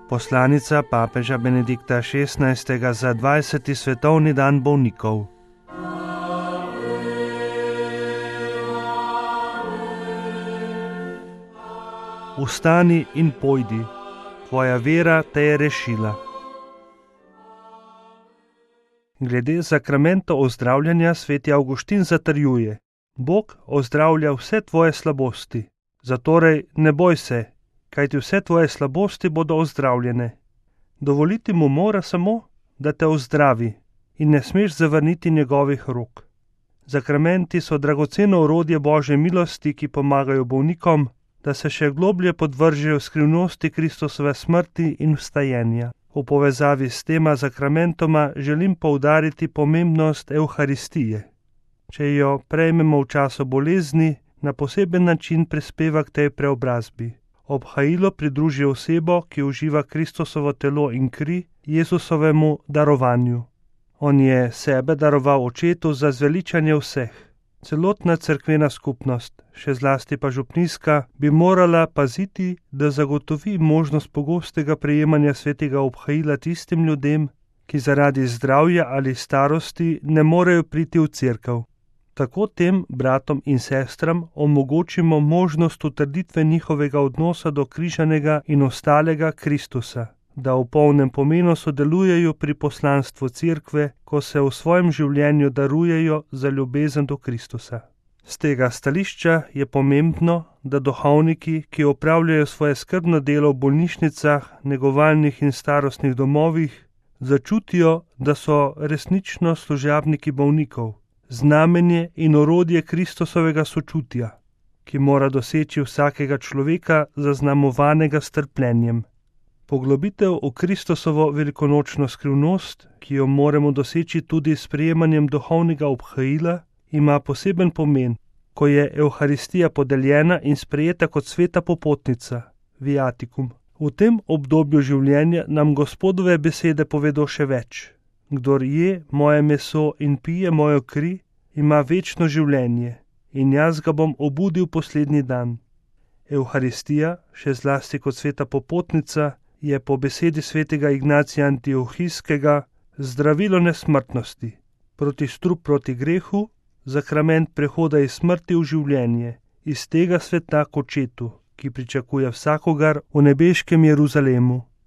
Poslanica papeža Benedikta XVI. Za 20. svetovni dan bolnikov. Vstani in pojdi, tvoja vera te je rešila. Glede sakramenta ozdravljanja sveti Avguštin zatrjuje: Bog ozdravlja vse tvoje slabosti, zatorej ne boj se, kajti vse tvoje slabosti bodo ozdravljene. Dovoliti mu mora samo, da te ozdravi in ne smeš zavrniti njegovih rok. Sakramenti so dragoceno orodje Božje milosti, ki pomagajo bolnikom, da se še globlje podvržejo skrivnosti Kristusove smrti in vstajenja. V povezavi s tema sakramentoma želim poudariti pomembnost Evharistije. Če jo prejmemo v času bolezni, na poseben način prispeva k tej preobrazbi. Obhajilo pridruži osebo, ki uživa Kristusovo telo in kri Jezusovemu darovanju. On je sebe daroval Očetu za zveličanje vseh. Celotna cerkvena skupnost, še zlasti pa župnijska, bi morala paziti, da zagotovi možnost pogostega prejemanja svetega obhajila tistim ljudem, ki zaradi zdravja ali starosti ne morejo priti v cerkev. Tako tem bratom in sestram omogočimo možnost utrditve njihovega odnosa do križanega in ostalega Kristusa, da v polnem pomenu sodelujejo pri poslanstvu cerkve, ko se v svojem življenju darujejo za ljubezen do Kristusa. Z tega stališča je pomembno, da duhovniki, ki opravljajo svoje skrbno delo v bolnišnicah, negovalnih in starostnih domovih, začutijo, da so resnično služabniki bolnikov, znamenje in orodje Kristusovega sočutja, ki mora doseči vsakega človeka zaznamovanega s trpljenjem. Poglobitev v Kristusovo velikonočno skrivnost, ki jo moramo doseči tudi s sprejemanjem duhovnega obhajila, ima poseben pomen, ko je Evharistija podeljena in sprejeta kot sveta popotnica, viatikum. V tem obdobju življenja nam Gospodove besede povedo še več. Kdor je moje meso in pije mojo kri, ima večno življenje in jaz ga bom obudil poslednji dan. Evharistija, še zlasti kot sveta popotnica, je po besedi svetega Ignacija Antiohijskega zdravilo nesmrtnosti, protistrup proti grehu, sakrament prehoda iz smrti v življenje, iz tega sveta k Očetu, ki pričakuje vsakogar v nebeškem Jeruzalemu.